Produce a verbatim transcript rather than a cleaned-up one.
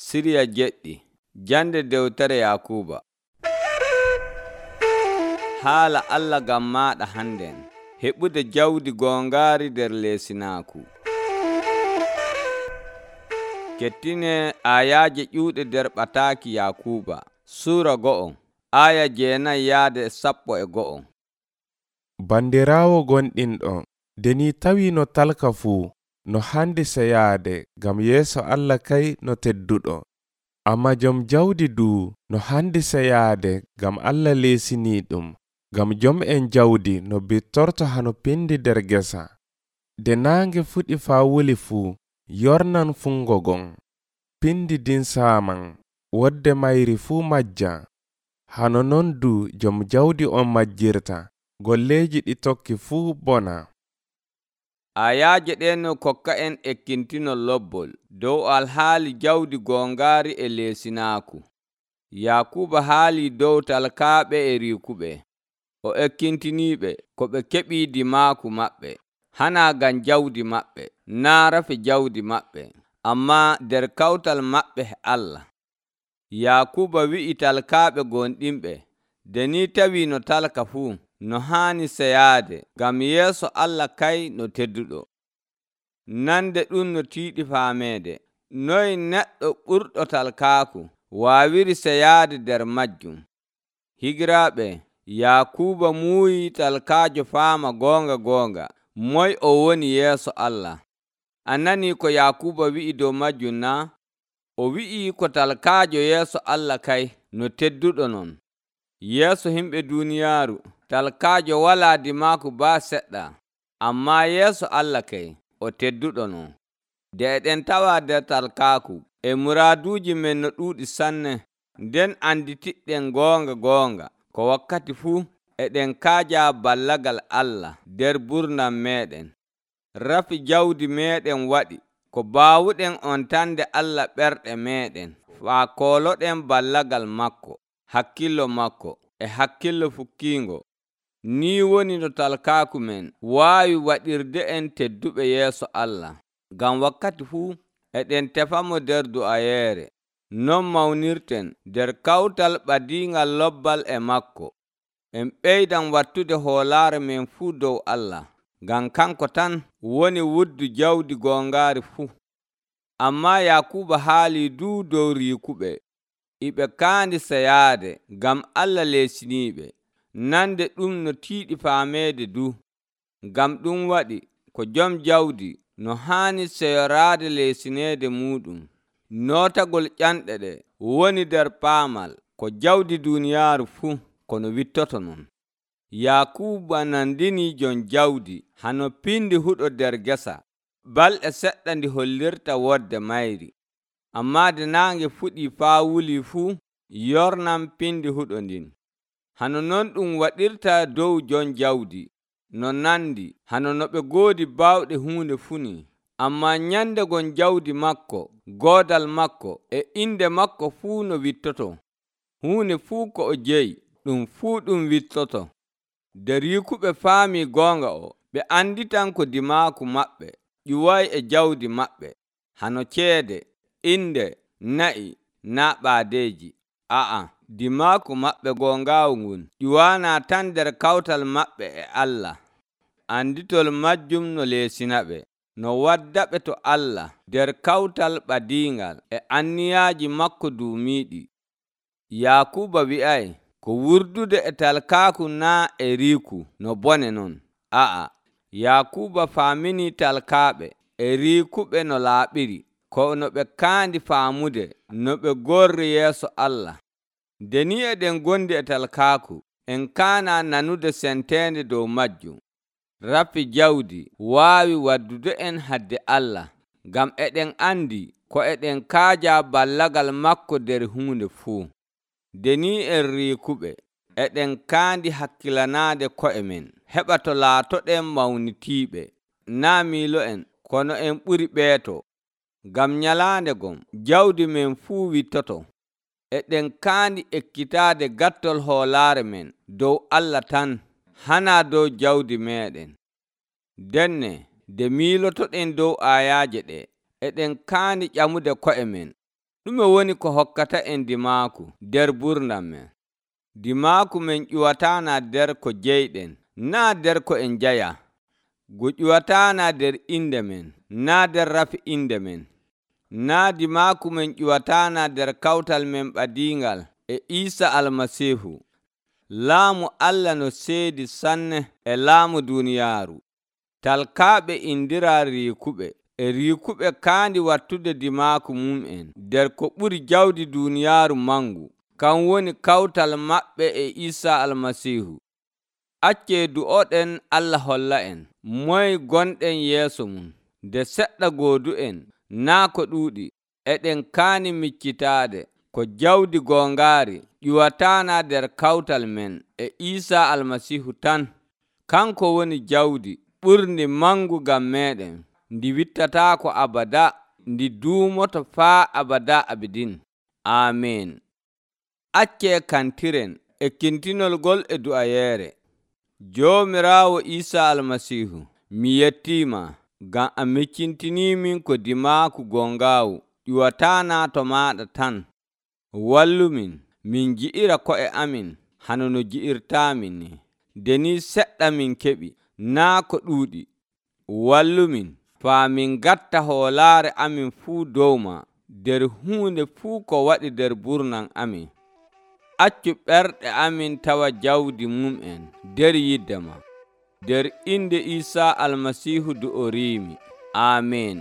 Siriya jeɗɗi jande dewtere Yakuba. Haala Allah ngam maɗa hannden, heɓude jawdi gongaari nder leesinaku. Kettine ayaaje ƴuuɗe nder ɓataaki Yakuba. Suura go'o, aya jeenayi yaade sappo e go'o. Bandiraawo gonɗinɗo, nde ni tawi no talka fuu, no handi seyaade ngam yeeso Allah kay no tedduɗo. Amma jom jawdi duu no handi seyaade ngam Allah leesini ɗum, ngam jom'en jawdi no bittorto hano pindi nder gesa. Nde naange fuɗi faa wuli fuu, yornan fungo gon. Pindi din saaman, wodde mayri fuu majja. Hano non duu jom jawdi on majjirta, golleeji ɗi tokki fuu bona. Ayaaje ɗen no kokka en ekkintinol lobbol dow alhaali jawdi gongaari e leesinaaku. Yakuba haali dow talkaaɓe e riikuɓe. O ekkintiniiɓe ko ɓe keɓi dimaaku maɓɓe, hana ngam jawdi maɓɓe, naa rafi jawdi maɓɓe, amma nder kawtal maɓɓe e Allah. Yakuba wi'i talkaaɓe gonɗinɓe, nde ni tawi no talka fuu, no haani seyaade ngam yeeso Allah kay no tedduɗo. Nande ɗum no tiiɗi faameede, noy neɗɗo ɓurɗo talkaaku waawiri seyaade nder majjum. Higiraaɓe, Yakuba muuyi talkaajo faama goonga goonga moy o woni yeeso Allah. A nanii ko Yakuba wi'i dow majjum naa? O wi'i ko talkaajo yeeso Allah kay no tedduɗo non. Yeeso himɓe duuniyaaru, talkaajo walaa dimaaku baa seɗɗa, amma yeeso Allah kay o tedduɗo non. Nde eɗen tawa nder talkaaku, e muraaduuji men no ɗuuɗi sanne, nden anditiɗɗen goonga goonga ko wakkati fuu eɗen kaaja ballagal Allah nder burnam meeɗen. Rafi jawdi meeɗen waɗi ko baawuɗen on tande Allah ɓerɗe meeɗen, faa kooloɗen ballagal makko, hakkillo makko e hakkillo fukkiingo. Ni woni no talkaaku men waawi waɗirde en tedduɓe yeeso Allah, ngam wakkati fuu eɗen tefamo nder du'ayeere. Non mawnirten nder kawtal ɓadiingal lobbal e makko. En ɓeydan wattude hoolaare men fuu dow Allah, ngam kanko tan woni wuddu jawdi gongaari fuu. Amma Yakuba haali duu dow riikuɓe, iɓe kaandi seyaade ngam Allah leesiniiɓe. Nande ɗum no tiiɗi faameede du. Ngam ɗum waɗi ko jom jawdi no haani seyoraade leesineede muɗum. Nootagol ƴanɗe ɗe woni nder paamal ko jawdi duuniyaaru fuu kono wittoto non. Yakuba nandini jon jawdi hano pindi huɗo nder gesa, balɗe seɗɗa ndi hollirta wodde mayri. Amma de naange fuɗi faa wuli fuu, yornan pindi huɗo ndin. Hano non ɗum waɗirta dow jon jawdi, no nandi hano no ɓe goodi baawɗe huunde funi. Amma nyande gon jawdi makko, goodal makko e inde makko fuu no wittoto. Huunde fuu ko o jeyi, ɗum fuu ɗum wittoto. Nde riikuɓe faami goonga o, ɓe anditan ko dimaaku maɓɓe ƴuway e jawdi maɓɓe, hano ceede, inde, na'i, naa ɓaadeeji. A'a, dimaaku maɓɓe goongaawu ngun ƴuwaana tan nder kawtal maɓɓe e Allah. Anditol majjum no leesinaɓe, no waddaɓe to Allah nder kawtal ɓadiingal e anniyaaji makko duumiiɗi. Yakuba wi'ay ko wurdude e talkaaku naa e riiku no bone non. A'a, Yakuba faamini talkaaɓe e riikuɓe no laaɓiri, ko no ɓe kaandi faamude no ɓe gorri yeeso Allah. Nde ni eɗen gondi e talkaaku, en kaana nanude senteende dow majjum. Rafi jawdi waawi waddude en hadde Allah, ngam eɗen andi ko eɗen kaaja ballagal makko nder huunde fuu. Nde ni en riikuɓe, eɗen kaandi hakkilanaade ko'e men, heɓa to laatoɗen mawnitiiɓe, naa miilo en, kono en ɓuri ɓeeto. Ngam nyalaande gon, jawdi men fuu wittoto. Eɗen kaandi ekkitaade gattol hoolaare men dow Allah tan, hana dow jawdi meeɗen. Denne, nde miilotoɗen dow ayaaje ɗe, eɗen kaandi ƴamude ko'e men, ɗume woni ko hokkata en dimaaku nder ɓurndan men? Dimaaku men ƴuwataana nder ko jeyɗen, naa nder ko en njaya. Ngu ƴuwataana nder inde men, naa nder rafi inde men. Naa dimaaku men ƴuwataana nder kawtal men ɓadiingal e Iisa Almasiihu. Laamu Allah no seedi sanne e laamu duuniyaaru. Talkaaɓe indiraa riikuɓe, e riikuɓe kaandi wattude dimaaku mum'en nder ko ɓuri jawdi duuniyaaru mangu, kan woni kawtal maɓɓe e Iisa Almasiihu. Accee du'oɗen Allah holla en moye gonɗen yeeso mum. Nde seɗɗa goodu'en, naa ko ɗuuɗi, eɗen kaani miccitaade ko jawdi goongaari ƴuwataana nder kawtal men e Iisa Almasiihu tan. Kanko woni jawdi ɓurndi mangu ngam meeɗen, ndi wittataako abada, ndi duumoto faa abada abidin. Aamen. Accee kantiren ekkintinol ngol e du'ayeere. Joomiraawo Iisa Almasiihu, mi yettiima ngam a miccintiniimin ko dimaaku gongaawu ƴuwataana to maaɗa tan. Wallumin min gi'ira ko'e amin hano no gi'irtaamin ni. Nde ni seɗɗa min keɓi, naa ko ɗuuɗi. Wallumin faa min ngatta hoolaare amin fuu dow ma nder huunde fuu ko waɗi nder ɓurnan amin. Accu ɓerɗe amin tawa jawdi mum'en nder yidde ma. Nder inde Iisa Almasiihu du'oriimi. Aamen.